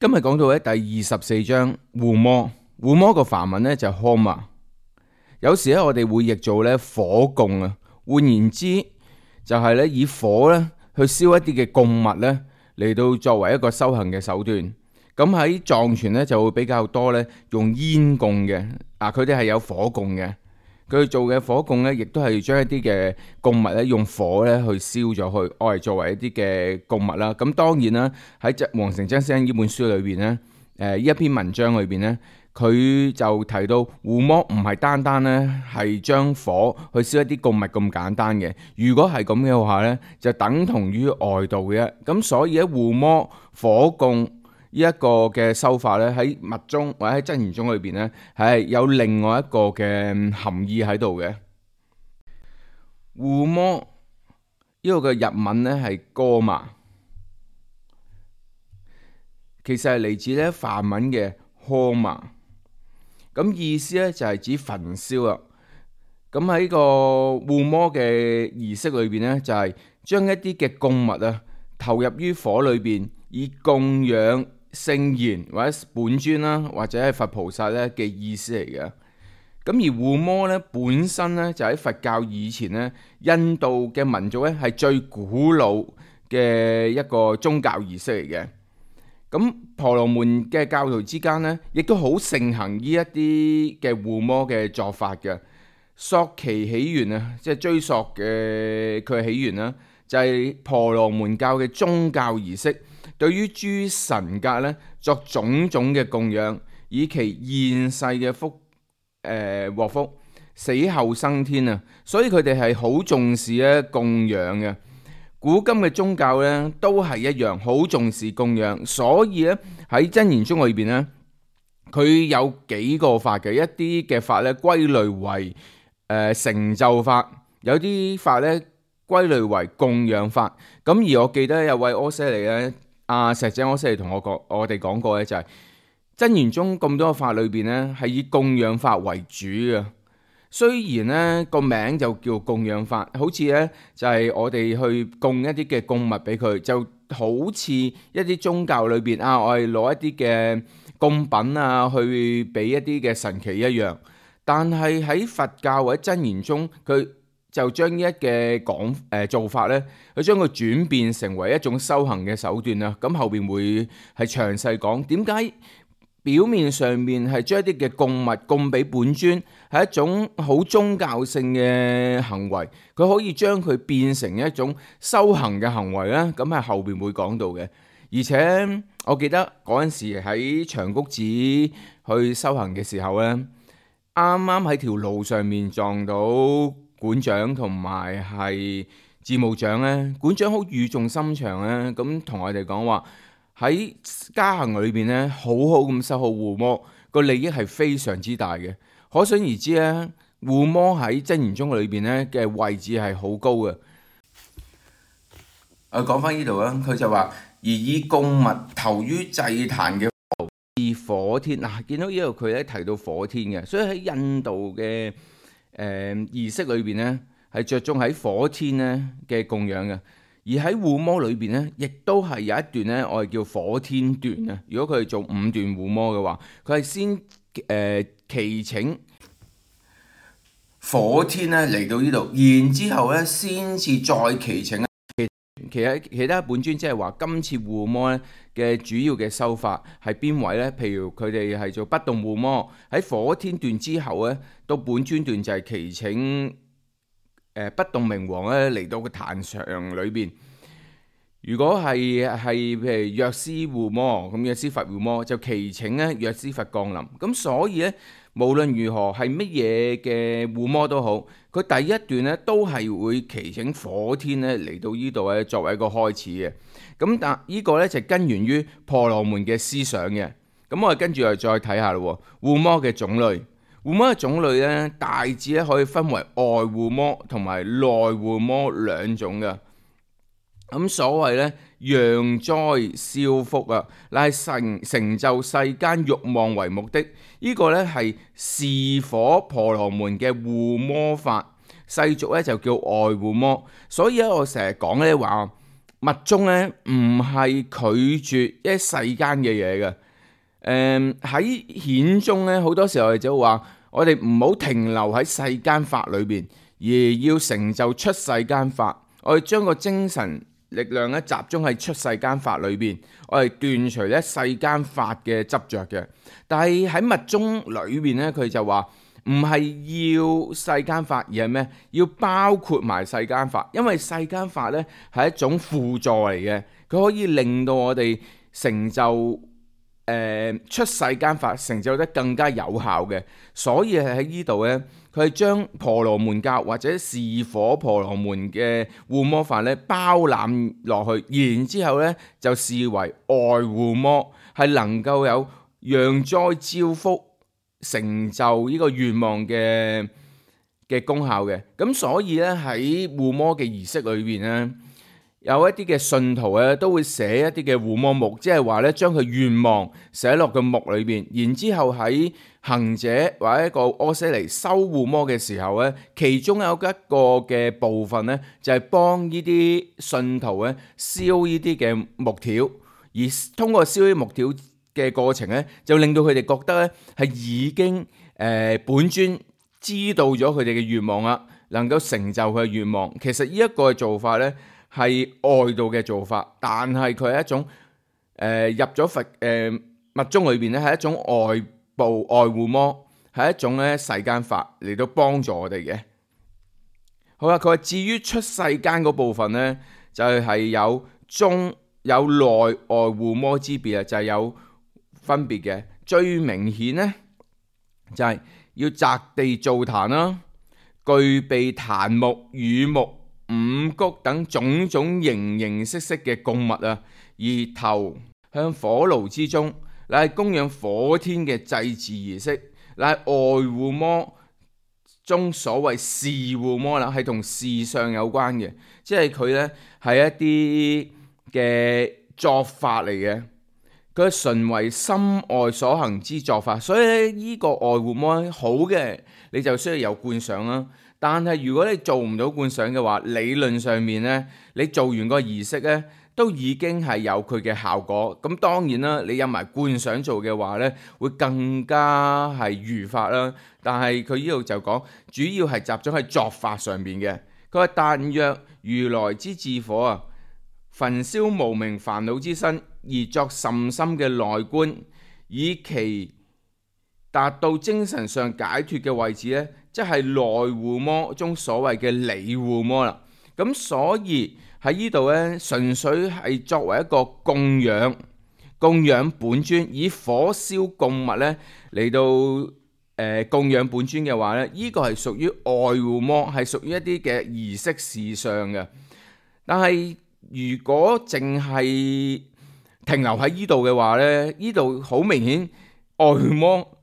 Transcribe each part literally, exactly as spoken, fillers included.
今日講到咧第二十四章護摩，護摩個梵文咧就係 homa， 有時咧我哋會譯做咧火供啊。換言之，就係咧以火咧去燒一啲嘅供物咧嚟到作為一個修行嘅手段。咁喺藏傳咧就會比較多咧用煙供嘅，啊佢哋係有火供嘅。佢做嘅火供咧，亦都係將一啲嘅供物咧用火咧去燒咗去，愛嚟作為一啲嘅供物啦。咁當然啦，喺《黃成真先生》呢本書裏邊咧，誒、呃、呢一篇文章裏邊咧，佢就提到護摩唔係單單咧係將火去燒一啲供物咁簡單嘅。如果係咁嘅話咧，就等同於外道嘅。咁所以喺護摩火供呢一個嘅修法咧，喺密宗或者喺真言宗裏邊咧，係有另外一個嘅含義喺度嘅。護摩呢個嘅日文咧係哥瑪，其實係嚟自咧梵文嘅 homa， 咁意思咧就係指焚燒啦。咁喺個護摩嘅儀式裏邊咧，就係將一啲嘅供物啊投入於火裏邊，以供養聖賢或者本尊啦，或者係佛菩薩咧嘅意思嚟嘅。咁而護摩咧本身咧就喺佛教以前咧，印度嘅民族咧係最古老嘅一個宗教儀式嚟嘅。咁婆羅門嘅教徒之間咧，亦都好盛行呢一啲嘅護摩嘅做法嘅。溯其起源啊，即係追溯嘅佢嘅起源啦，就係婆羅門教嘅宗教儀式。對於諸神格咧作種種嘅供養，以其現世嘅福誒獲、呃、福，死後生天啊！所以佢哋係好重視咧供養嘅。古今嘅宗教咧都係一樣，好重視供養。所以咧喺真言宗裏邊咧，佢有幾個法嘅，一啲嘅法咧歸類為誒、呃、成就法，有啲法咧歸類為供養法。咁而我記得有位阿闍黎咧。阿石井阿闍黎同我講，我哋講過咧，就係真言宗咁多個法裏邊咧，係以供養法為主嘅。雖然咧個名就叫供養法，好似咧就係我哋去供一啲嘅供物俾佢，就好似一啲宗教裏邊啊，我哋攞一啲嘅供品啊，去俾一啲嘅神祇一樣。但係喺佛教或者真言宗，佢就將呢一嘅講誒做法咧，佢將佢轉變成為一種修行嘅手段啦。咁後邊會係詳細講點解表面上面係將一啲嘅供物供俾本尊係一種好宗教性嘅行為，佢可以將佢變成一種修行嘅行為咧。咁係後邊會講到嘅。而且我記得嗰陣時喺長谷寺去修行嘅時候咧，啱啱喺條路上面撞到館長同埋係寺務長咧，館長好語重心長咧，咁同我哋講話喺加行裏邊咧，好好咁修好護摩，個利益係非常之大嘅。可想而知咧，護摩喺真言宗裏邊咧嘅位置係好高嘅。我講翻呢度啦，佢就話而以供物投於祭壇嘅火天嗱、啊，見到呢度佢咧提到火天嘅，所以喺印度嘅誒儀式裏邊咧，係着重喺火天咧嘅供養嘅。而喺護摩裏邊咧，亦都係有一段咧，我哋叫火天段啊。如果佢係做五段護摩嘅話，佢係先誒祈請火天咧嚟到呢度，然之後咧先至再祈請其他其他本尊，即係話今次護摩咧嘅主要嘅修法係邊位呢？譬如佢哋係做不動護摩，喺火天段之後咧，到本尊段就係祈請誒不動明王咧嚟到個壇場裏邊。如果係係譬如藥師護摩，咁藥師佛護摩就祈請咧藥師佛降臨。咁所以咧，無論如何係乜嘢嘅護摩都好，佢第一段咧都係會祈請火天咧嚟到呢度咧作為一個開始嘅。咁但呢個咧就根源於婆羅門嘅思想嘅。咁我哋跟住又再睇下咯，護摩嘅種類。護摩嘅種類咧大致咧可以分為外護摩同埋內護摩兩種嘅。咁所謂咧揚災消福啊，乃係成成就世間慾望為目的。呢、這個咧係示火婆羅門嘅護摩法，世俗咧就叫外護摩。所以咧我成日講咧話，密宗咧唔係拒絕一世間嘅嘢嘅。誒喺顯宗咧，好多時候我哋就話，我哋唔好停留喺世間法裏邊，而要成就出世間法。我哋將個精神力量咧集中喺出世間法裏邊，我哋斷除咧世間法嘅執着嘅。但係喺密宗裏邊咧，佢就話唔係要世間法，而係咩？要包括埋世間法，因為世間法咧係一種輔助嚟嘅，佢可以令到我哋成就。誒出世間法成就得更加有效嘅，所以係喺呢度呢，佢係將婆羅門教或者是火婆羅門嘅護摩法咧包攬落去，然之後呢就視為外護摩，係能夠有讓災招福、成就呢個願望嘅嘅功效嘅。咁所以呢，喺護摩嘅儀式裏邊呢，有一啲嘅信徒咧都會寫一啲嘅護摩目，即係話咧將佢願望寫落個目裏邊，然之後喺行者或者一個阿闍黎收護摩嘅時候咧，其中有一個嘅部分咧就係幫呢啲信徒咧燒呢啲嘅木條，而通過燒呢啲木條嘅過程咧，就令到佢哋覺得咧係已經誒、呃、本尊知道咗佢哋嘅願望啦，能夠成就佢嘅願望。其實呢一個做法咧，係外道嘅做法，但係佢係一種誒、呃、入咗佛誒、呃、密宗裏邊咧，係一種外部外護摩，係一種咧世間法嚟到幫助我哋嘅。好啦，佢話至於出世間嗰部分咧，就係、是、有中有內外護摩之別啊，就係、是、有分別嘅。最明顯咧就係、是、要擇地造壇啦，具備檀木、乳木、五穀等種種形形色色嘅供物啊，而投向火爐之中，乃係供養火天嘅祭祀儀式，乃係外護摩中所謂事護摩啦，係同事相有關嘅，即係佢呢係一啲嘅作法嚟嘅，佢係純為心外所行之作法，所以咧呢個外護摩好嘅，你就需要有觀想啦。但係如果你做唔到觀想嘅話，理論上面呢，你做完個儀式呢，都已經係有佢嘅效果。咁當然啦，你有埋觀想做嘅話呢，會更加係如法啦。但係佢呢度就講，主要係集中喺作法上邊嘅。佢話：但若如來之智火啊，焚燒無明煩惱之身，而作甚深嘅內觀，以其達到精神上解脫嘅位置呢，即係內護摩中所謂嘅理護摩啦。咁所以喺呢度呢，純粹係作為一個供養，供養本尊，以火燒供物呢嚟到誒、呃、供養本尊嘅話呢，呢、呢個係屬於外護摩，係屬於一啲嘅儀式事相嘅。但係如果淨係停留喺呢度嘅話呢，呢度好明顯外護摩。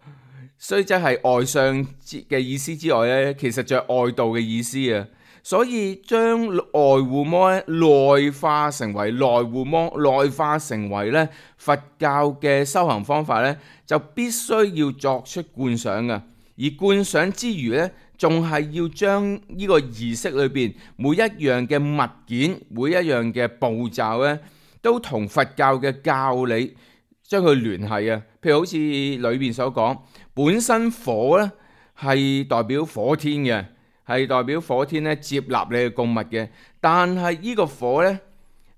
所以即係外相嘅意思之外咧，其實就係外道嘅意思啊。所以將外護摩咧內化成為內護摩，內化成為咧佛教嘅修行方法咧，就必須要作出觀想嘅。而觀想之餘咧，仲係要將呢個儀式裏邊每一樣嘅物件、每一樣嘅步驟咧，都同佛教嘅教理將佢聯繫啊。譬如好似裏邊所講。本身火咧係代表火天嘅，係代表火天咧接納你嘅供物嘅。但係呢個火咧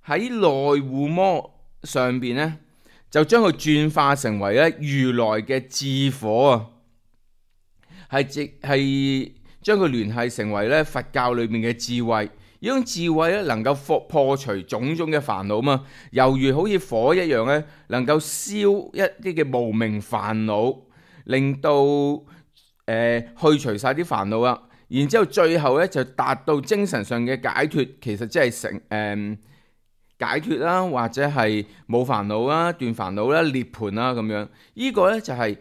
喺內護摩上邊咧，就將佢轉化成為咧如來嘅智火啊，係即係將佢聯繫成為咧佛教裏面嘅智慧。呢種智慧咧能夠破破除種種嘅煩惱嘛，猶如好似火一樣咧，能夠燒一啲嘅無明煩惱。令到誒、呃、去除晒啲煩惱啦，然之後最後咧就達到精神上嘅解脫，其實即係成誒、呃、解脫啦，或者係冇煩惱啦、斷煩惱啦、涅槃啦咁樣。這個、呢個咧就係、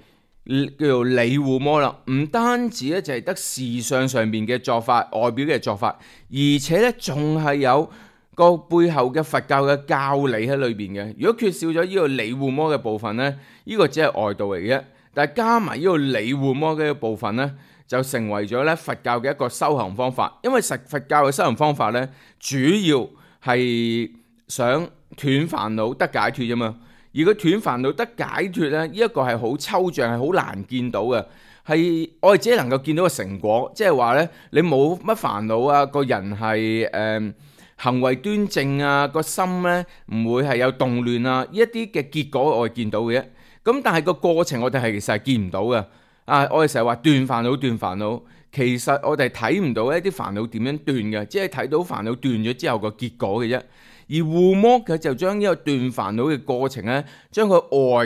是、叫做理護摩啦。唔單止咧就係得事相上邊嘅作法、外表嘅作法，而且咧仲係有個背後嘅佛教嘅教理喺裏邊嘅。如果缺少咗呢個理護摩嘅部分咧，呢、這個只係外道嚟嘅。但係加埋呢個理護摩嘅部分咧，就成為咗咧佛教嘅一個修行方法。因為實佛教嘅修行方法咧，主要係想斷煩惱得解脫啫嘛。而佢斷煩惱得解脫咧，呢一個係好抽象，係好難見到嘅，係我哋只係能夠見到個成果，即係話咧你冇乜煩惱啊，個人係誒、呃、行為端正啊，個心咧唔會係有動亂啊，呢一啲嘅結果我哋見到嘅啫。咁但係個過程我哋係其實係見唔到嘅。啊，我哋成日話斷煩惱斷煩惱，其實我哋睇唔到一啲煩惱點樣斷嘅，只係睇到煩惱斷咗之後個結果嘅啫。而護摩佢就將呢個斷煩惱嘅過程咧，將佢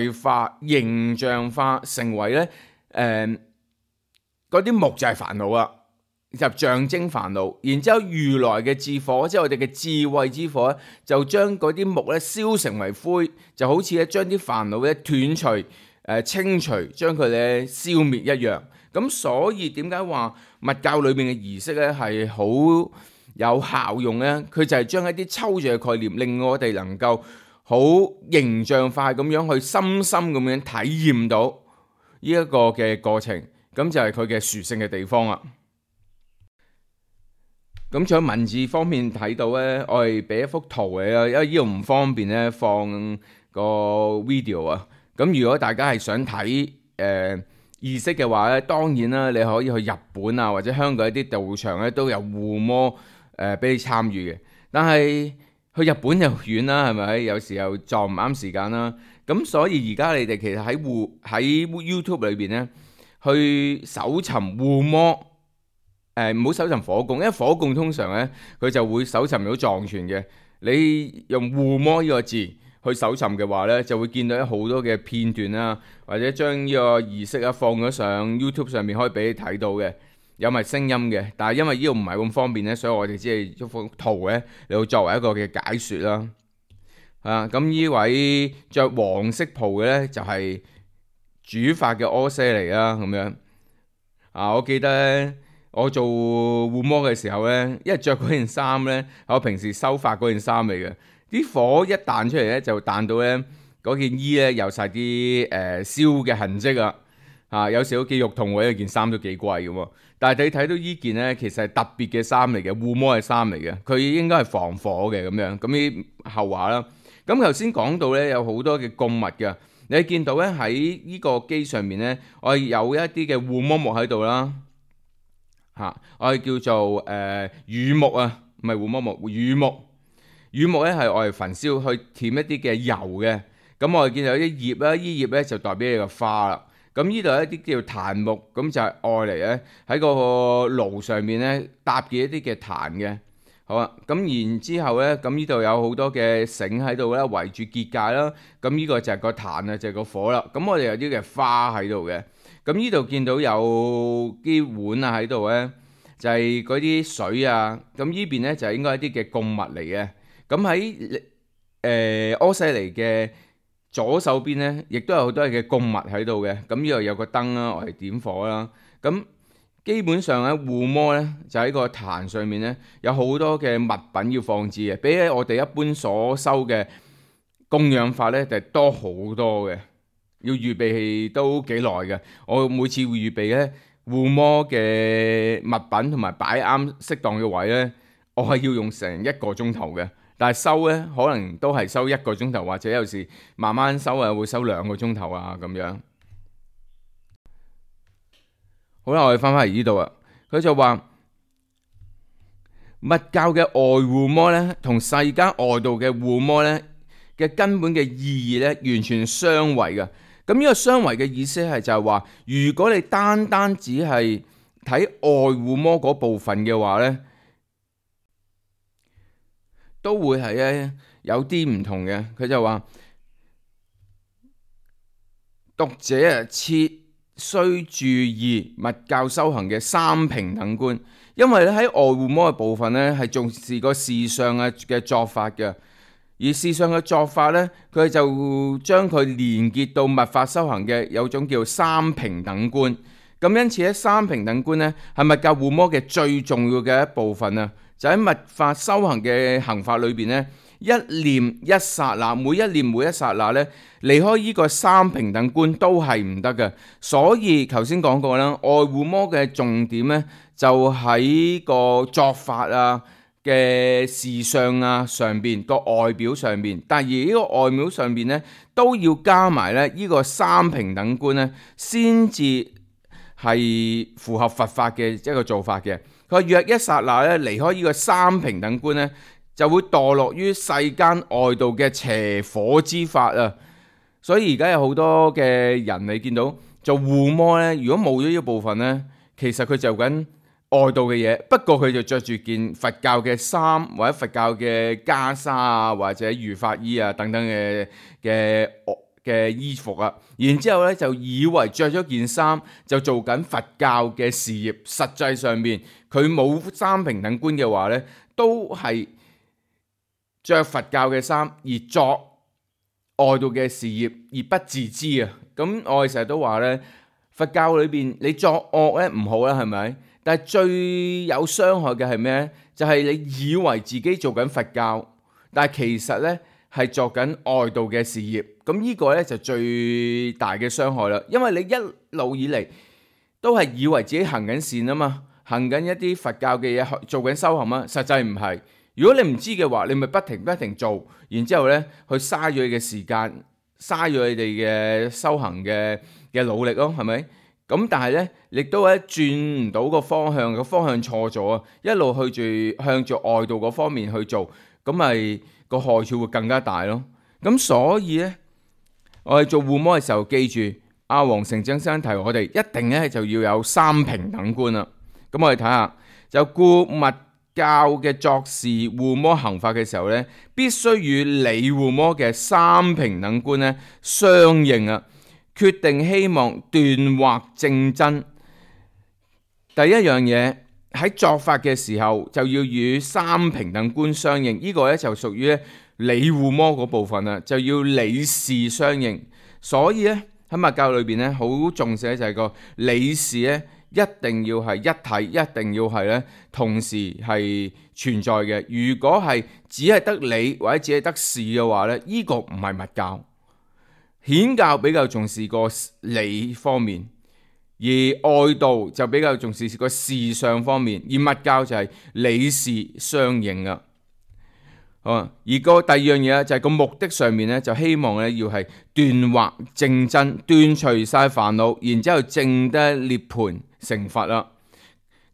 外化、形象化，成為咧誒嗰啲木就係煩惱啦，就象徵煩惱。然之後如來嘅智火，即係我哋嘅智慧之火咧，就將嗰啲木咧燒成為灰，就好似咧將啲煩惱咧斷除、誒、呃、清除，將佢咧消滅一樣。咁所以點解話密教裏面嘅儀式咧係好有效用呢？佢就係將一啲抽象嘅概念，令我哋能夠好形象化咁樣去深深咁樣體驗到呢一個嘅過程，咁就係佢嘅殊勝嘅地方啦。咁除咗文字方面睇到呢，我哋俾一幅圖嚟啦，因為呢度唔方便咧放個 video 啊。咁如果大家係想睇誒、呃、儀式嘅話咧，當然啦，你可以去日本啊，或者香港一啲道場咧都有護摩。誒俾、呃、你參與嘅，但係去日本又遠啦，係咪？有時候撞唔啱時間啦。咁所以而家你哋其實喺護喺 YouTube 裏邊咧，去搜尋護摩，誒唔好搜尋火供，因為火供通常咧佢就會搜尋到藏傳嘅。你用護摩呢個字去搜尋嘅話咧，就會見到好多嘅片段啦，或者將呢個儀式啊放咗上 YouTube 上面，可以俾你睇到嘅。有埋聲音嘅，但係因為呢度唔係咁方便咧，所以我哋只係一幅圖咧嚟到作為一個嘅解說啦。啊，咁呢位着黃色袍嘅咧就係、是、主法嘅阿闍黎啦，咁樣啊，我記得咧，我做護摩嘅時候咧，因為着嗰件衫咧係我平時修法嗰件衫嚟嘅，啲火一彈出嚟咧就彈到咧嗰件衣咧有晒啲誒燒嘅痕跡啊。啊，有時都幾肉痛喎，因為件衫都幾貴嘅喎。但係你睇到依件咧，其實係特別嘅衫嚟嘅，護摩嘅衫嚟嘅，佢應該係防火嘅咁樣。咁啲後話啦。咁頭先講到咧，有好多嘅供物嘅，你見到咧喺呢個機上面咧，我係有一啲嘅護摩木喺度啦。嚇、啊，我係叫做誒乳木啊，唔係護摩木，乳木。乳木咧係我哋焚燒去舔一啲嘅油嘅。咁我哋見到啲葉啦，依葉咧就代表你個花啦。咁呢度一啲叫檀木，咁就係愛嚟咧喺個爐上面咧搭嘅一啲嘅檀嘅。好啊，咁然之後咧，咁呢度有好多嘅繩喺度咧圍住結界啦。咁呢個就係個檀啊，就係個火啦。咁我哋有啲嘅花喺度嘅。咁呢度見到有啲碗啊喺度咧，就係嗰啲水啊。咁呢邊咧就係應該一啲嘅供物嚟嘅。咁喺誒阿闍黎嘅左手邊咧，亦都有好多嘅供物喺度嘅。咁呢度有個燈啦，我哋點火啦。咁基本上咧，護摩咧就喺個壇上面咧，有好多嘅物品要放置嘅，比起我哋一般所收嘅供養法咧，就多好多嘅。要預備都幾耐嘅。我每次會預備咧護摩嘅物品同埋擺啱適當嘅位咧，我係要用成一個鐘頭嘅。但係收咧，可能都係收一個鐘頭，或者有時慢慢收啊，會收兩個鐘頭啊咁樣。好啦，我哋翻返嚟呢度啊。佢就話密教嘅外護摩咧，同世間外道嘅護摩咧嘅根本嘅意義咧，完全相違嘅。咁呢個相違嘅意思係就係話，如果你單單只係睇外護摩嗰部分嘅話咧，都會係咧有啲唔同嘅。佢就話讀者啊，切須注意密教修行嘅三平等觀，因為咧喺外護摩嘅部分咧係重視個事相嘅嘅作法嘅，而事相嘅作法咧，佢就將佢連結到密法修行嘅有種叫三平等觀。咁因此咧，三平等觀咧係密教護摩嘅最重要嘅一部分啊！就喺密法修行嘅行法裏邊咧，一念一剎那，每一念每一剎那咧，離開呢個三平等觀都係唔得嘅。所以頭先講過啦，外護摩嘅重點咧就喺個作法啊、嘅時尚啊上邊個外表上邊，但係而呢個外表上邊咧都要加埋咧呢個三平等觀咧，先至係符合佛法嘅一個做法嘅。佢話若一剎那咧離開呢個三平等觀咧，就會墮落於世間外道嘅邪火之法啊！所以而家有好多嘅人你見到做護摩咧，如果冇咗呢個部分咧，其實佢就緊外道嘅嘢，不過佢就着住件佛教嘅衫，或者佛教嘅袈裟啊，或者如法衣啊等等嘅嘅嘅衣服啊，然之後咧就以為着咗件衫就做緊佛教嘅事業，實際上面佢冇三平等觀嘅話咧，都係着佛教嘅衫而作外道嘅事業而不自知啊！咁我哋成日都話咧，佛教裏邊你作惡咧唔好啦，係咪？但係最有傷害嘅係咩？就係你以為自己做緊佛教，但係其實咧係作緊外道嘅事業。咁呢個咧就最大嘅傷害啦。因為你一路以嚟都係以為自己行緊善啊嘛，行緊一啲佛教嘅嘢，做緊修行啊，實際唔係。如果你唔知嘅話，你咪不停不停做，然之後咧去嘥咗你嘅時間，嘥咗你哋嘅修行嘅嘅努力咯，係咪？咁但係咧，亦都咧轉唔到個方向，個方向錯咗啊！一路去住向住外道嗰方面去做，咁咪個害處會更加大咯。咁所以咧，我哋做護摩嘅時候，記住阿黃成正生提我哋一定咧就要有三平等觀啦。咁我哋睇下，就故密教嘅作事護摩行法嘅時候咧，必須與理護摩嘅三平等觀咧相應啊！決定希望斷惑正真，第一樣嘢喺作法嘅時候就要與三平等觀相應，呢、這個咧就屬於理護摩嗰部分啦，就要理事相應。所以咧喺密教裏邊咧好重視咧就係個理事咧一定要係一體，一定要係咧同時係存在嘅。如果係只係得理或者只係得事嘅話咧，呢、這個唔係密教。顯教比較重視個理方面，而外道就比較重視個事相方面，而密教就係理事相應啊。好，而個第二樣嘢就係個目的上面咧，就希望咧要係斷惑正真，斷除晒煩惱，然之後證得涅槃成佛啦。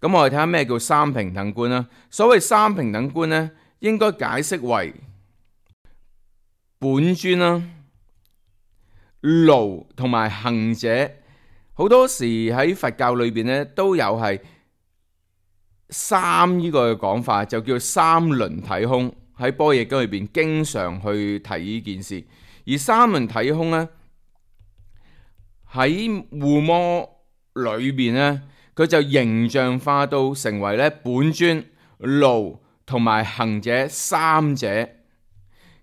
咁我哋睇下咩叫三平等觀啦。所謂三平等觀咧，應該解釋為本尊啦、奴同埋行者。好多時喺佛教裏邊咧都有係三呢個嘅講法，就叫三輪體空。喺般若經裏邊經常去提呢件事。而三輪體空咧喺護摩裏邊咧，佢就形象化到成為咧本尊、奴同埋行者三者。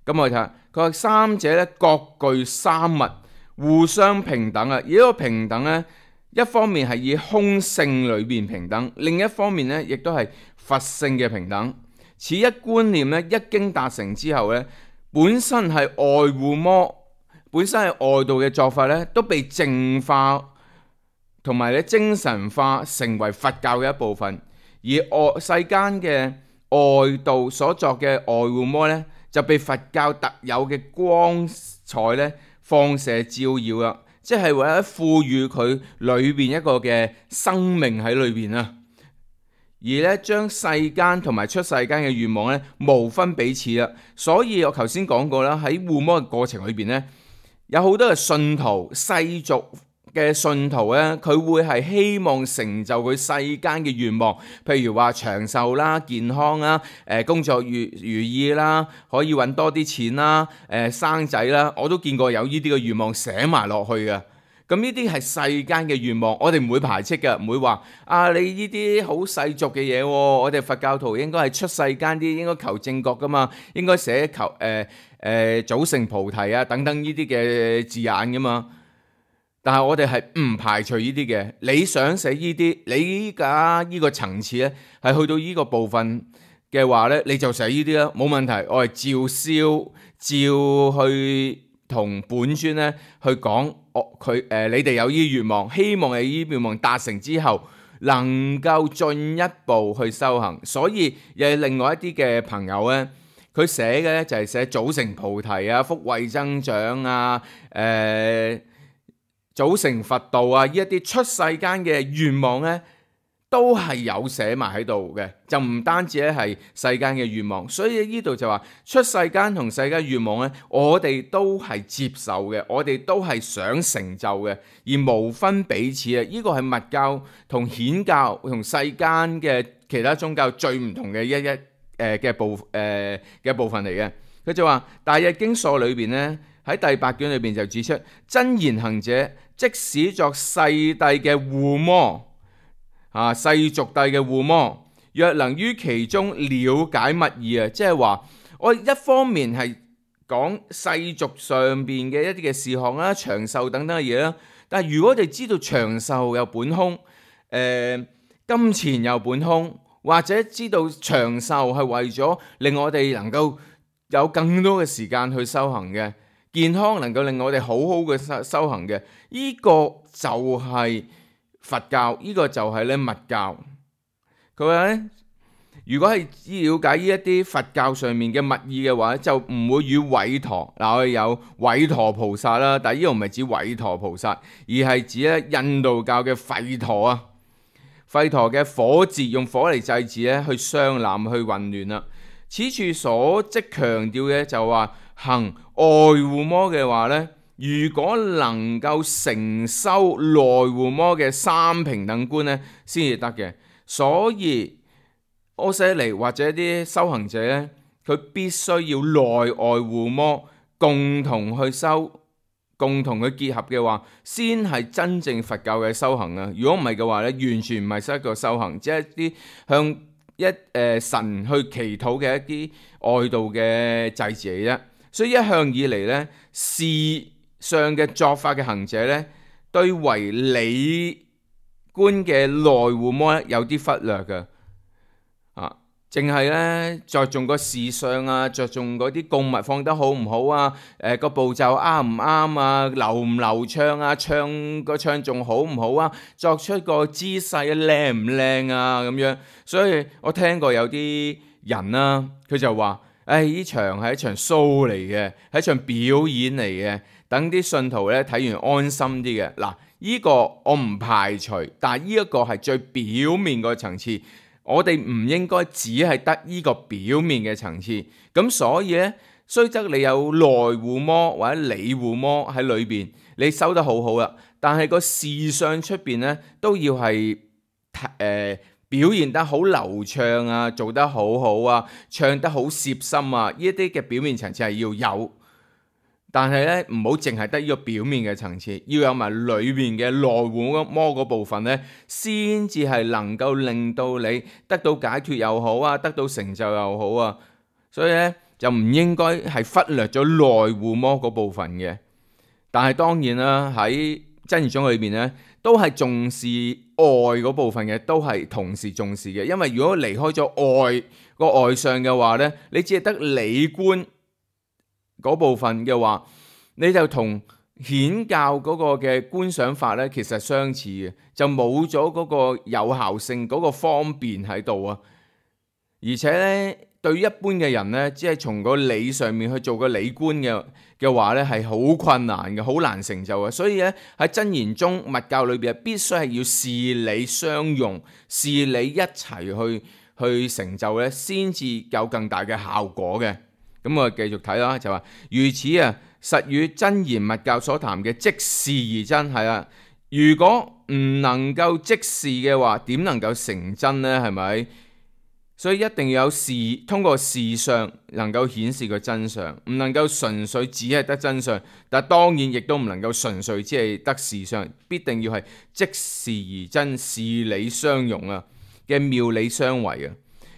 咁我哋睇下，佢話三者咧各具三物，互相平等啊！而呢個平等咧，一方面係以空性裏邊平等，另一方面咧亦都係佛性嘅平等。此一觀念咧，一經達成之後咧，本身係外護摩，本身係外道嘅作法咧，都被淨化同埋咧精神化，成為佛教嘅一部分。而外世間嘅外道所作嘅外護摩咧，就被佛教特有嘅光彩咧放射照耀啦，即係為咗賦予佢裏邊一個嘅生命喺裏邊啊。而咧將世間同埋出世間嘅願望咧無分彼此啦。所以我頭先講過啦，喺護摩嘅過程裏邊咧，有好多嘅信徒，世俗嘅信徒咧，佢會係希望成就佢世間嘅願望，譬如話長壽啦、健康啦、誒工作如如意啦、可以揾多啲錢啦、誒生仔啦，我都見過有呢啲嘅願望寫埋落去嘅。咁呢啲係世間嘅願望，我哋唔會排斥嘅，唔會話啊你呢啲好世俗嘅嘢喎，我哋佛教徒應該係出世間啲，應該求正覺噶嘛，應該寫求誒誒早成菩提啊等等呢啲嘅字眼噶嘛。但係我哋係唔排除呢啲嘅，你想寫呢啲，你依家呢個層次咧係去到呢個部分嘅話咧，你就寫呢啲啦，冇問題。我係照燒，照去同本尊咧去講，我佢誒你哋有呢啲願望，希望你呢啲願望達成之後，能夠進一步去修行。所以又有另外一啲嘅朋友咧，佢寫嘅咧就係寫組成菩提啊、福慧增長啊、誒、呃、組成佛道啊，呢一啲出世間嘅願望咧，都係有寫埋喺度嘅，就唔單止咧係世間嘅願望。所以呢度就話出世間同世間願望咧，我哋都係接受嘅，我哋都係想成就嘅，而無分彼此啊！呢個係密教同顯教同世間嘅其他宗教最唔同嘅一一誒嘅部誒嘅部分嚟嘅。佢就話《大日經疏》裏邊咧，喺第八卷裏邊就指出，真言行者即使作世帝嘅護摩。啊！世俗帝嘅護摩，若能於其中了解密意啊，即係話我一方面係講世俗上邊嘅一啲嘅事項啦、長壽等等嘅嘢啦，但係如果我哋知道長壽有本空，誒、呃、金錢有本空，或者知道長壽係為咗令我哋能夠有更多嘅時間去修行嘅，健康能夠令我哋好好嘅修修行嘅，呢、這個就係、是。佛教呢、這個就係咧密教，佢話咧，如果係了解呢一啲佛教上面嘅密意嘅話，就唔會與韋馱嗱，我哋有韋馱菩薩啦，但係呢個唔係指韋馱菩薩，而係指咧印度教嘅吠陀啊，吠陀嘅火節用火嚟祭祀咧，去相攬去混亂啦。此處所即強調嘅就話行外護摩嘅話咧。如果能夠成修內護摩嘅三平等觀咧，先至得嘅。所以阿闍黎或者啲修行者咧，佢必須要內外護摩共同去修，共同去結合嘅話，先係真正佛教嘅修行啊！如果唔係嘅話咧，完全唔係一個修行，只係一啲向一誒、呃、神去祈禱嘅一啲外道嘅祭祀嚟啫。所以一向以嚟咧，是上嘅作法嘅行者咧，對唯理觀嘅內護摩咧有啲忽略嘅，啊，淨係咧着重個事相啊，着重嗰啲供物放得好唔好啊，誒、呃、個步驟啱唔啱啊，流唔流暢啊，唱個唱仲好唔好啊，作出個姿勢靚唔靚啊咁樣。所以我聽過有啲人啦、啊，佢就話：誒呢場係一場 show 嚟嘅，係一場表演嚟嘅。等啲信徒咧睇完安心啲嘅。嗱，呢個我唔排除，但係呢一個係最表面個層次，我哋唔應該只係得呢個表面嘅層次。咁所以咧，雖則你有內護摩或者理護摩喺裏邊，你收得好好啦，但係個事相出邊咧都要係誒、呃、表現得好流暢啊，做得好好啊，唱得好攝心啊，呢一啲嘅表面層次係要有。但係咧，唔好淨係得呢個表面嘅層次，要有埋裏面嘅內護摩嗰部分咧，先至係能夠令到你得到解脫又好啊，得到成就又好啊。所以咧，就唔應該係忽略咗內護摩嗰部分嘅。但係當然啦，喺真言宗裏邊咧，都係重視外嗰部分嘅，都係同時重視嘅。因為如果離開咗外個外相嘅話咧，你只係得理觀嗰部分嘅話，你就同顯教嗰個嘅觀想法咧，其實相似嘅，就冇咗嗰個有效性嗰個方便喺度啊。而且咧，對於一般嘅人咧，只係從個理上面去做個理觀嘅嘅話咧，係好困難嘅，好難成就嘅。所以咧，喺真言宗密教裏邊，必須係要事理相融，事理一齊去去成就咧，先至有更大嘅效果嘅。咁我繼續睇啦，就話如此啊，實與真言密教所談嘅即事而真係啊。如果唔能夠即事嘅話，點能夠成真呢？係咪？所以一定要有事，通過事相能夠顯示個真相，唔能夠純粹只係得真相。但當然亦都唔能夠純粹只係得事相，必定要係即事而真，事理相融啊嘅妙理相違啊。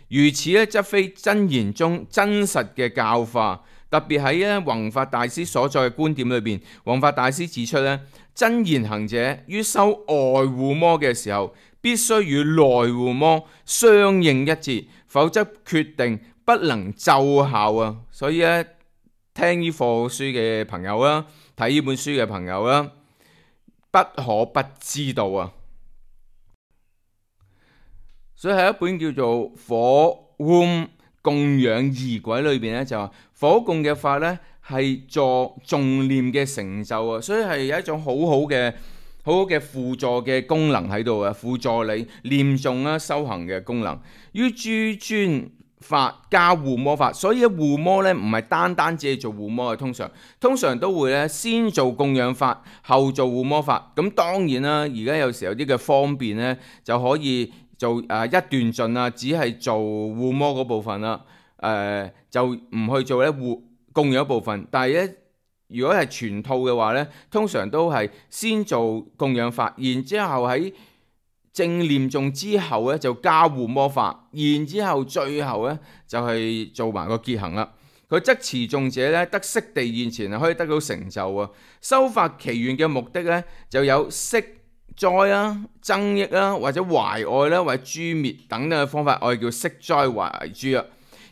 如此咧，則非真言宗真實嘅教化。特別喺咧弘法大師所在嘅觀點裏邊，弘法大師指出咧，真言行者於修外護摩嘅時候，必須與內護摩相應一致，否則決定不能奏效啊！所以咧，聽呢課書嘅朋友啦，睇呢本書嘅朋友啦，不可不知道啊！所以喺一本叫做《火燶供養儀軌》裏邊咧，就話火供嘅法咧係助誦念嘅成就啊，所以係有一種好好嘅好好嘅輔助嘅功能喺度啊，輔助你念誦啦、修行嘅功能。於諸尊法加護摩法，所以護摩咧唔係單單只係做護摩嘅，通常通常都會咧先做供養法，後做護摩法。咁當然啦，而家有時有啲嘅方便咧，就可以做誒、呃、一段盡啊，只係做護摩嗰部分啦，誒、呃、就唔去做咧護供養部分。但係咧，如果係全套嘅話咧，通常都係先做供養法，然之後喺正念誦之後咧就加護摩法，然之後最後咧就係、是、做埋個結行啦。佢則持誦者咧得悉地現前啊，可以得到成就啊。修法祈願嘅目的咧就有息災啦、增益啦，或者懷愛啦，或者誅滅等等嘅方法，我哋叫息災懷誅啊。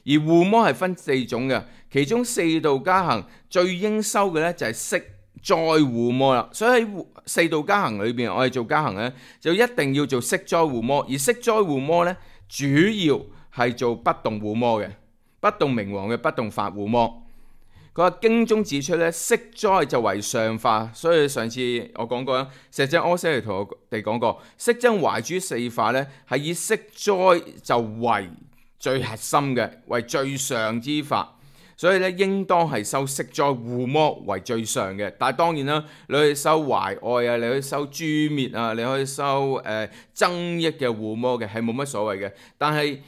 而護摩係分四種嘅，其中四道加行最應修嘅咧就係息災護摩啦。所以喺四道加行裏邊，我哋做加行咧就一定要做息災護摩，而息災護摩咧主要係做不動護摩嘅，不動明王嘅不動法護摩。佢話經中指出咧，息災就為上法，所以上次我講過啦，石井阿闍黎同我哋講過，息增懷誅四法咧係以息災就為最核心嘅，為最上之法，所以咧應當係修息災護摩為最上嘅。但係當然啦，你可以修懷愛啊，你可以修誅滅啊，你可以修誒、呃、增益嘅護摩嘅，係冇乜所謂嘅。但係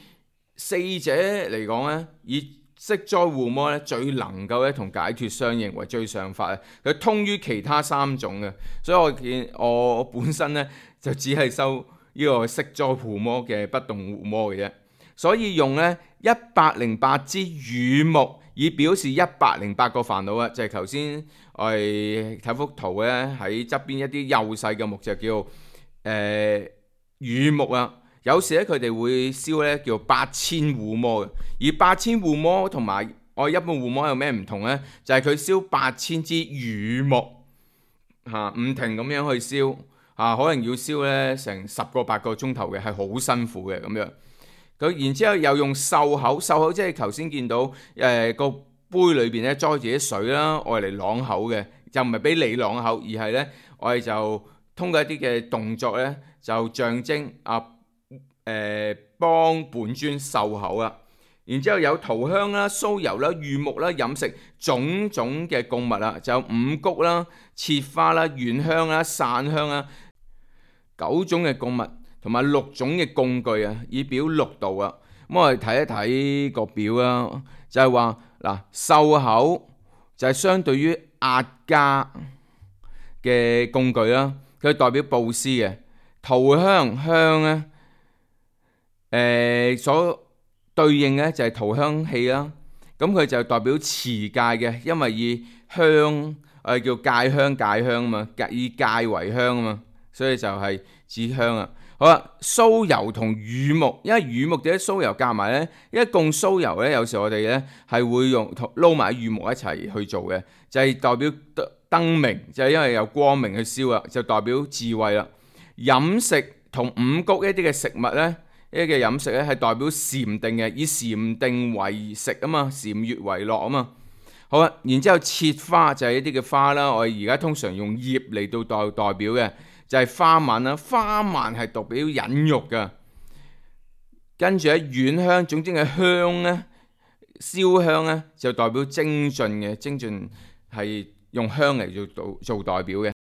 四者嚟講咧，以息災護摩咧最能夠咧同解脫相應為最上法啊，佢通於其他三種嘅，所以我見我本身咧就只係修呢個息災護摩嘅不動護摩嘅啫，所以用咧一百零八支羽木以表示一百零八個煩惱啊，就係頭先我哋睇幅圖咧喺側邊一啲幼細嘅木就叫誒、呃、羽木啊。有時咧佢哋會燒咧叫八千護摩嘅，而八千護摩同埋我一般護摩有咩唔同咧？就係、是、佢燒八千支羽木嚇，唔、啊、停咁樣去燒嚇、啊，可能要燒咧成十個八個鐘頭嘅，係好辛苦嘅咁樣。佢然之後又用漱口，漱口即係頭先見到誒、呃、個杯裏邊咧裝住啲水啦，愛嚟啷口嘅，就唔係俾你啷口，而係咧我哋就通過一啲嘅動作咧就象徵啊。誒、呃、幫本尊漱口啦，然之後有塗香啦、酥油啦、御木啦、飲食種種嘅供物啦，就有五穀啦、切花啦、軟香啦、散香啦，九種嘅供物同埋六種嘅供具啊，以表六道啊。咁我哋睇一睇個表啦，就係話嗱，漱口就係相對於壓家嘅工具啦，佢代表布施嘅。塗香香咧。誒、呃、所對應嘅就係塗香器啦，咁佢就代表持戒嘅，因為以香誒、呃、叫戒香戒香啊嘛，以戒為香啊嘛，所以就係指香啊。好啦，酥油同乳木，因為乳木點解酥油夾埋咧？因為供酥油咧，有時我哋咧係會用撈埋乳木一齊去做嘅，就係、是、代表燈明，就係、是、因為有光明去燒啊，就代表智慧啦。飲食同五穀一啲嘅食物咧。呢個嘅飲食咧係代表禪定嘅，以禪定為食啊嘛，禪悅為樂啊嘛。好啦，然之後切花就係一啲嘅花啦，我哋而家通常用葉嚟到代代表嘅，就係、是、花蔓啦。花蔓係代表忍辱嘅。跟住喺軟香，總之嘅香咧，燒香咧就代表精進嘅，精進係用香嚟做做代表嘅。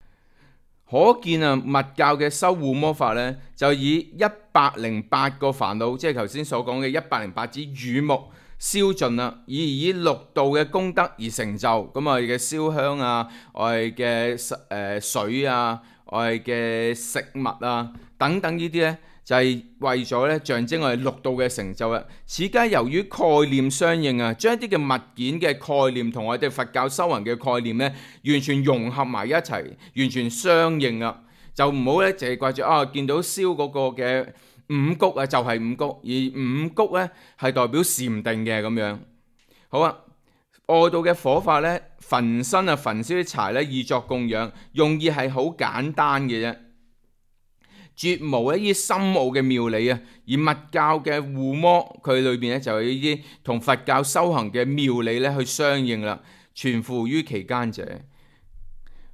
可見啊，密教嘅修護摩法咧，就以一百零八個煩惱，即係頭先所講嘅一百零八支羽木燒盡啦，以以六道嘅功德而成就。咁我哋嘅燒香啊，我哋嘅誒水啊，我哋嘅食物啊，等等呢啲咧，就係為咗咧象徵我哋六道嘅成就啊。此皆由於概念相應啊，將一啲嘅物件嘅概念同我哋佛教修行嘅概念咧，完全融合埋一齊，完全相應啊。就唔好咧，淨係掛住啊，見到燒嗰個嘅五穀啊，就係五穀，而五穀咧係代表禪定嘅咁樣。好啊，外道嘅火法咧，焚身啊，焚燒啲柴咧，以作供養，用意係好簡單嘅啫。絕無一啲深奧嘅妙理啊。而密教嘅護摩佢裏邊咧就有呢啲同佛教修行嘅妙理咧去相應啦，存乎於其間者。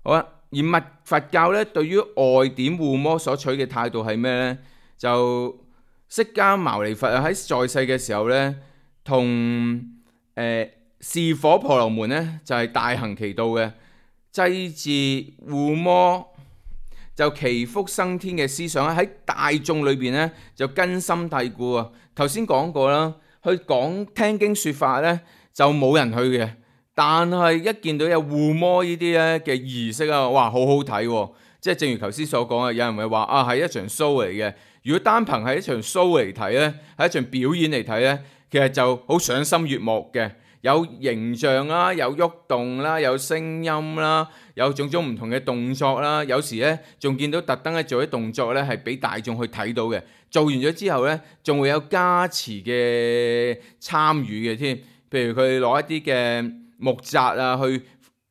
好啦，而密佛教咧對於外典護摩所取嘅態度係咩呢？就釋迦牟尼佛啊喺在世嘅時候咧，同誒示火婆羅門咧就係、是、大行其道嘅祭祀護摩，就祈福生天嘅思想喺大眾裏邊咧就根深蒂固啊。頭先講過啦，去講聽經說法咧就冇人去嘅，但係一見到有護摩呢啲咧嘅儀式啊，哇，好好睇喎！即係正如頭先所講啊，有人會話啊係一場 show 嚟嘅。如果單憑係一場 show 嚟睇咧，係一場表演嚟睇咧，其實就好賞心悅目嘅，有形象啦，有喐動啦，有聲音啦，有種種唔同嘅動作啦，有時咧仲見到特登咧做啲動作咧係俾大眾去睇到嘅。做完咗之後咧，仲會有加持嘅參與嘅添，譬如佢攞一啲嘅木紮啊去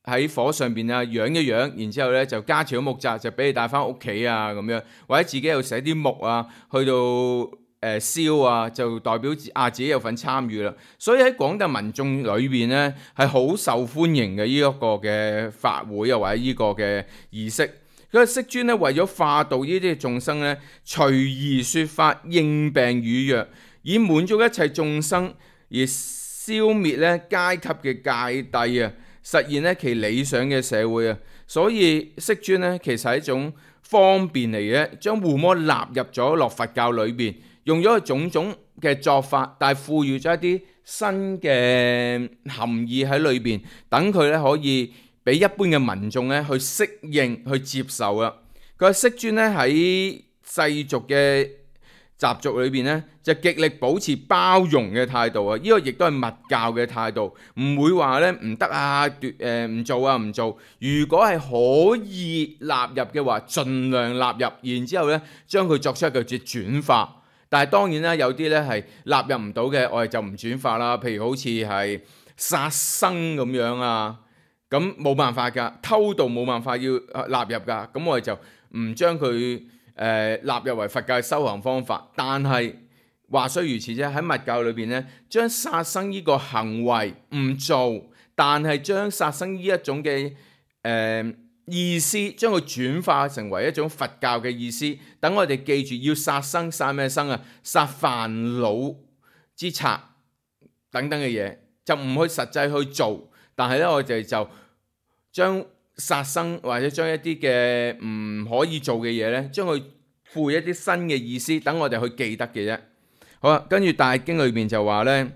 喺火上邊啊，養一養，然之後咧就加持咗木紮，就俾你帶翻屋企啊咁樣，或者自己又寫啲木啊，去到誒燒啊，就代表啊自己有份參與啦。所以喺廣大民眾裏邊咧，係好受歡迎嘅呢一個嘅法會啊，或者呢個嘅儀式。佢個釋尊咧為咗化度呢啲眾生咧，隨宜說法，應病與藥，以滿足一切眾生，而消滅咧階級嘅界遞啊，實現咧其理想嘅社會啊。所以釋尊咧其實係一種方便嚟嘅，將護摩納入咗落佛教裏邊，用咗佢種種嘅作法，但係賦予咗一啲新嘅含義喺裏邊，等佢咧可以俾一般嘅民眾咧去適應、去接受啊。佢話釋尊咧喺世俗嘅習俗裏邊咧，就極力保持包容嘅態度啊！呢、這個亦都係密教嘅態度，唔會話咧唔得啊，奪誒唔做啊，唔做。如果係可以納入嘅話，盡量納入，然之後咧將佢作出一個嘅轉化。但係當然啦，有啲咧係納入唔到嘅，我哋就唔轉化啦。譬如好似係殺生咁樣啊，咁冇辦法㗎，偷盜冇辦法要納入㗎，咁我哋就唔將佢誒納入為佛教嘅修行方法。但係話雖如此啫，喺密教裏邊咧，將殺生呢個行為唔做，但係將殺生呢一種嘅誒、呃、意思，將佢轉化成為一種佛教嘅意思。等我哋記住要殺生，殺咩生啊？殺煩惱之賊等等嘅嘢，就唔去實際去做。但係咧，我哋就將殺生或者將一啲嘅唔可以做嘅嘢咧，將佢賦予一啲新嘅意思，等我哋去記得嘅啫。好啦，跟住大經裏邊就話咧，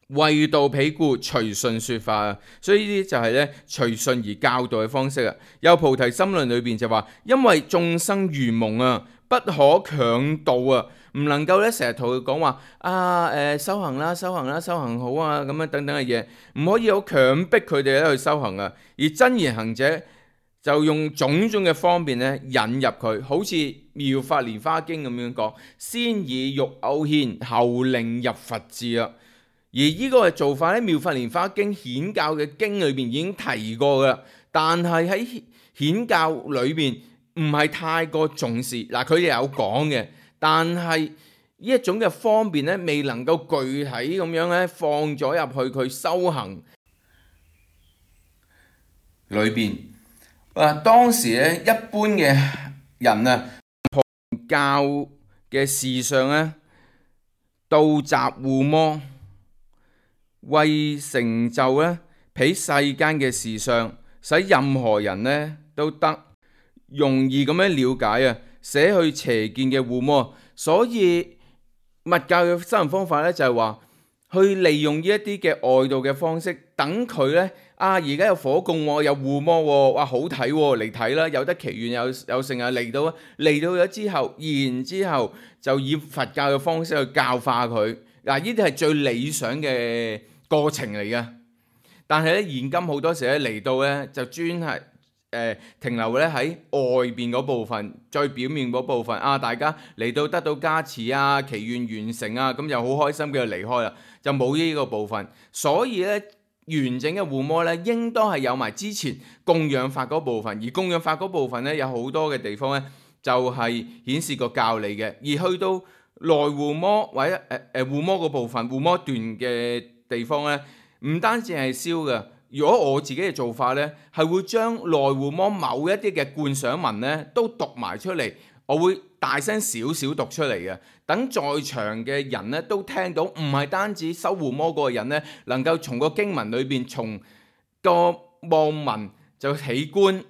為道彼故，隨順說法啊。所以呢啲就係咧隨順而教導嘅方式啊。有菩提心論裏邊就話，因為眾生愚蒙啊，不可強導啊，唔能夠咧成日同佢講話啊，誒、呃、修行啦，修行啦，修行好啊，咁樣等等嘅嘢，唔可以好強迫佢哋咧去修行啊。而真言行者就用種種嘅方便咧引入佢，好似《妙法蓮華經》咁樣講，先以欲勾牽，後令入佛智啊。而呢個嘅做法喺《妙法蓮華經》顯教嘅經裏邊已經提過噶啦，但係喺顯教裏邊唔係太過重視。嗱，佢哋有講嘅，但係呢一種嘅方便咧，未能夠具體咁樣咧放咗入去佢修行裏邊。啊，當時咧一般嘅人啊，旁教嘅事上咧，道集護摩，為成就咧，彼世間嘅事上，使任何人咧都得容易咁樣了解啊，捨去邪見嘅護摩。所以密教嘅修行方法咧，就係話去利用呢一啲嘅外道嘅方式，等佢咧。啊！而家有火供喎，有護摩喎，哇好睇喎，嚟睇啦！有得祈願，有有成啊嚟到嚟到咗之後，然之後就以佛教嘅方式去教化佢。嗱，呢啲係最理想嘅過程嚟嘅。但係咧，現今好多時咧嚟到咧，就專係誒、呃、停留咧喺外邊嗰部分，最表面嗰部分。啊，大家嚟到得到加持啊，祈願完成啊，咁又好開心，佢就離開啦，就冇呢個部分。所以咧。完整嘅護摩咧，應當係有埋之前供養法嗰部分，而供養法嗰部分咧，有好多嘅地方咧，就係顯示個教理嘅，而去到內護摩或者誒誒護摩嗰部分護摩段嘅地方咧，唔單止係燒嘅。如果我自己嘅做法咧，係會將內護摩某一啲嘅觀賞文咧都讀埋出嚟，我會大聲少少讀出嚟嘅，等在場嘅人咧都聽到，唔係單止修護摩嗰個人咧能夠從個經文裏邊從個望文就起觀，誒、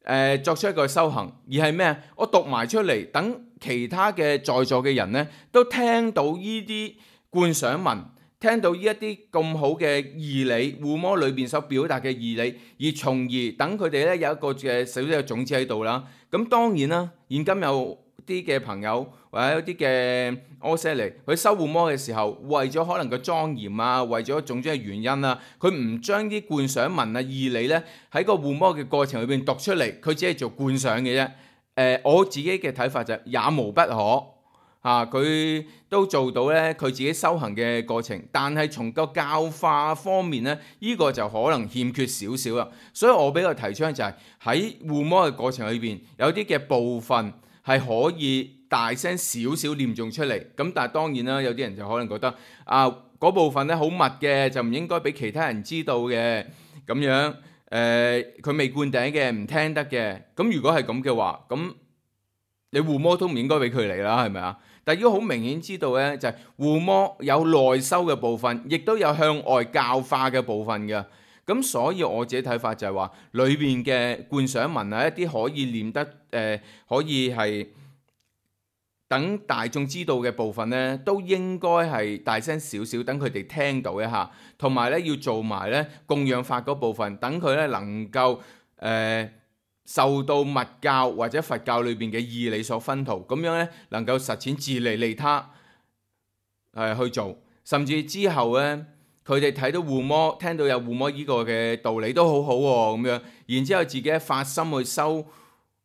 呃、作出一個修行，而係咩？我讀埋出嚟，等其他嘅在座嘅人咧都聽到呢啲觀賞文。聽到呢一啲咁好嘅義理，護摩裏邊所表達嘅義理，而從而等佢哋咧有一個嘅少少嘅種子喺度啦。咁當然啦，現今有啲嘅朋友或者有啲嘅阿舍尼，佢修護摩嘅時候，為咗可能個莊嚴啊，為咗種種嘅原因啊，佢唔將啲觀賞文啊義理咧喺個護摩嘅過程裏邊讀出嚟，佢只係做觀賞嘅啫。誒、呃，我自己嘅睇法就也無不可。啊！佢都做到咧，佢自己修行嘅過程，但係從個教化方面咧，呢、這個就可能欠缺少少啦。所以我比較提倡就係喺護摩嘅過程裏邊，有啲嘅部分係可以大聲少少念誦出嚟。咁但係當然啦，有啲人就可能覺得啊，嗰部分咧好密嘅，就唔應該俾其他人知道嘅咁樣。誒、呃，佢未灌頂嘅，唔聽得嘅。咁如果係咁嘅話，咁你護摩都唔應該俾佢嚟啦，係咪啊？但係如果好明顯知道咧，就係護摩有內修嘅部分，亦都有向外教化嘅部分嘅。咁所以我自己睇法就係話，裏邊嘅觀賞文啊，一啲可以念得誒、呃，可以係等大眾知道嘅部分咧，都應該係大聲少少，等佢哋聽到一下。同埋咧，要做埋咧供養法嗰部分，等佢咧能夠誒。呃受到密教或者佛教裏邊嘅義理所熏陶，咁樣咧能夠實踐自利利他，誒、呃、去做，甚至之後咧佢哋睇到護摩，聽到有護摩依個嘅道理都好好、哦、喎，咁樣，然之後自己發心去修誒、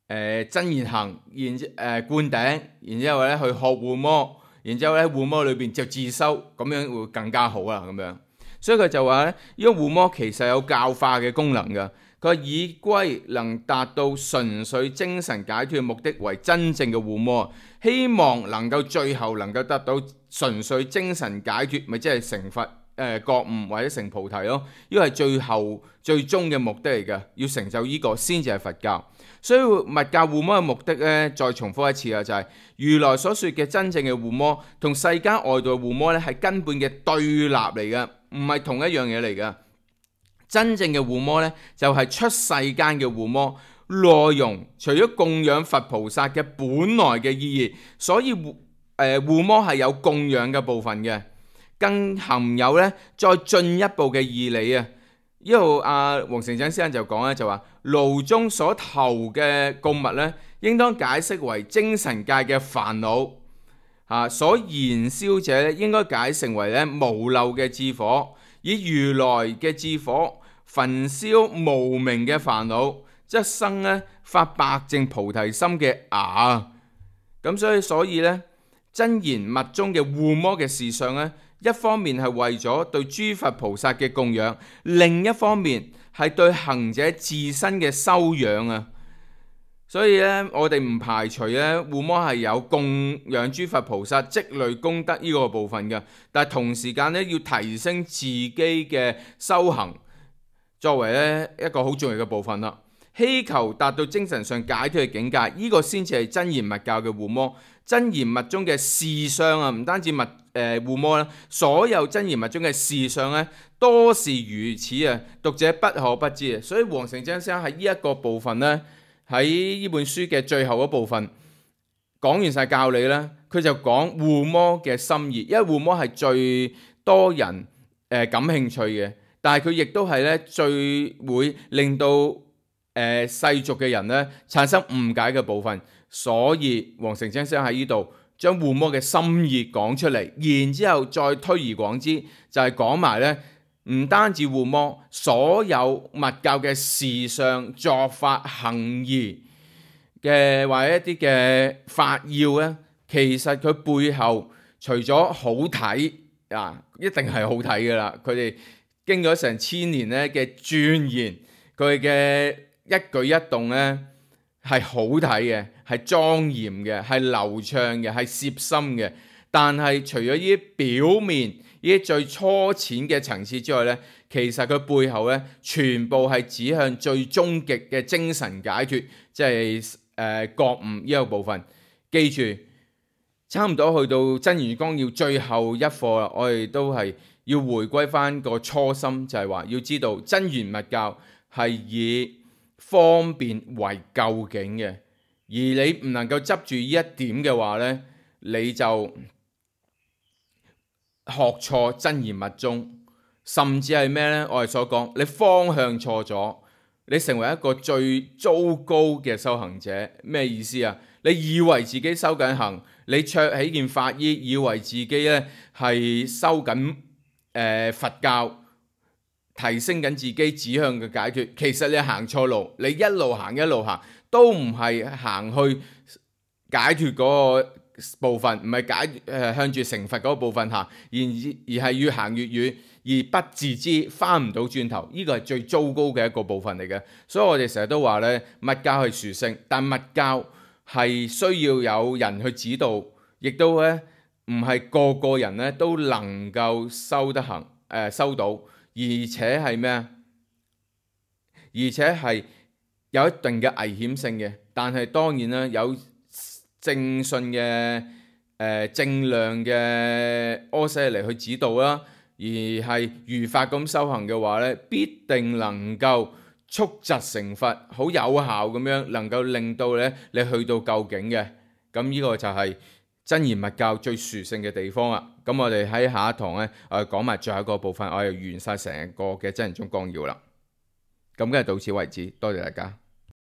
呃、真言行，然之誒灌頂，然之後咧去學護摩，然之後咧護摩裏邊就自修，咁樣會更加好啦，咁樣。所以佢就話咧，呢個護摩其實有教化嘅功能㗎。佢以歸能達到純粹精神解脫嘅目的為真正嘅護摩，希望能夠最後能夠得到純粹精神解脫，咪即係成佛誒、呃、覺悟或者成菩提咯。呢個係最後最終嘅目的嚟嘅，要成就呢、這個先至係佛教。所以密教護摩嘅目的咧，再重複一次啊，就係、是、如來所說嘅真正嘅護摩同世間外道護摩咧係根本嘅對立嚟嘅，唔係同一樣嘢嚟嘅。真正嘅護摩咧，就係出世間嘅護摩，內容除咗供養佛菩薩嘅本來嘅意義，所以護誒護摩係有供養嘅部分嘅，更含有咧再進一步嘅義理啊！呢度阿黃成真先生就講咧，就話爐中所投嘅供物咧，應當解釋為精神界嘅煩惱啊，所燃燒者咧應該解成為咧無漏嘅智火。以如來嘅智火焚燒無明嘅煩惱，則生咧發白淨菩提心嘅芽。咁所以所以咧真言密宗嘅護摩嘅事相咧，一方面係為咗對諸佛菩薩嘅供養，另一方面係對行者自身嘅修養啊。所以咧，我哋唔排除咧護摩係有供養諸佛菩薩積累功德呢個部分嘅，但係同時間咧要提升自己嘅修行，作為咧一個好重要嘅部分啦。希求達到精神上解脫嘅境界，呢、這個先至係真言密教嘅護摩。真言密宗嘅事相啊，唔單止密誒護摩啦，所有真言密宗嘅事相咧，多是如此啊，讀者不可不知啊。所以黃成真先生喺呢一個部分咧。喺呢本書嘅最後一部分講完晒教理咧，佢就講護摩嘅心意，因為護摩係最多人誒、呃、感興趣嘅，但係佢亦都係咧最會令到誒、呃、世俗嘅人咧產生誤解嘅部分，所以黃成真先生喺呢度將護摩嘅心意講出嚟，然之後再推而廣之，就係講埋咧。唔單止護摩，所有密教嘅事相、作法、行儀嘅或者一啲嘅法要咧，其實佢背後除咗好睇啊，一定係好睇噶啦。佢哋經咗成千年咧嘅鑽研，佢嘅一舉一動咧係好睇嘅，係莊嚴嘅，係流暢嘅，係攝心嘅。但係除咗呢啲表面、呢啲最初淺嘅層次之外呢，其實佢背後呢，全部係指向最終極嘅精神解脫，即係誒、呃、覺悟呢個部分。記住，差唔多去到《真言綱要》最後一課啦，我哋都係要回歸翻個初心，就係話要知道真言密教係以方便為究竟嘅，而你唔能夠執住呢一點嘅話呢，你就學錯真言密宗，甚至係咩呢？我哋所講，你方向錯咗，你成為一個最糟糕嘅修行者。咩意思啊？你以為自己修緊行，你着起件法衣，以為自己咧係修緊誒、呃、佛教，提升緊自己指向嘅解脫。其實你行錯路，你一路行一路行，都唔係行去解脫嗰個部分，唔係解誒、呃、向住成佛嗰個部分行，而而係越行越遠，而不自知，翻唔到轉頭。呢個係最糟糕嘅一個部分嚟嘅。所以我哋成日都話咧，密教係殊勝，但密教係需要有人去指導，亦都咧唔係個個人咧都能夠修得行誒、呃、修到，而且係咩啊？而且係有一定嘅危險性嘅。但係當然啦，有正信嘅誒、呃、正量嘅阿闍黎去指導啦，而係如法咁修行嘅話咧，必定能夠速疾成佛，好有效咁樣能夠令到咧你去到究竟嘅。咁呢個就係真言密教最殊勝嘅地方啦。咁我哋喺下一堂咧，我哋講埋最後一個部分，我哋完晒成個嘅真言宗綱要啦。咁今日到此為止，多謝大家。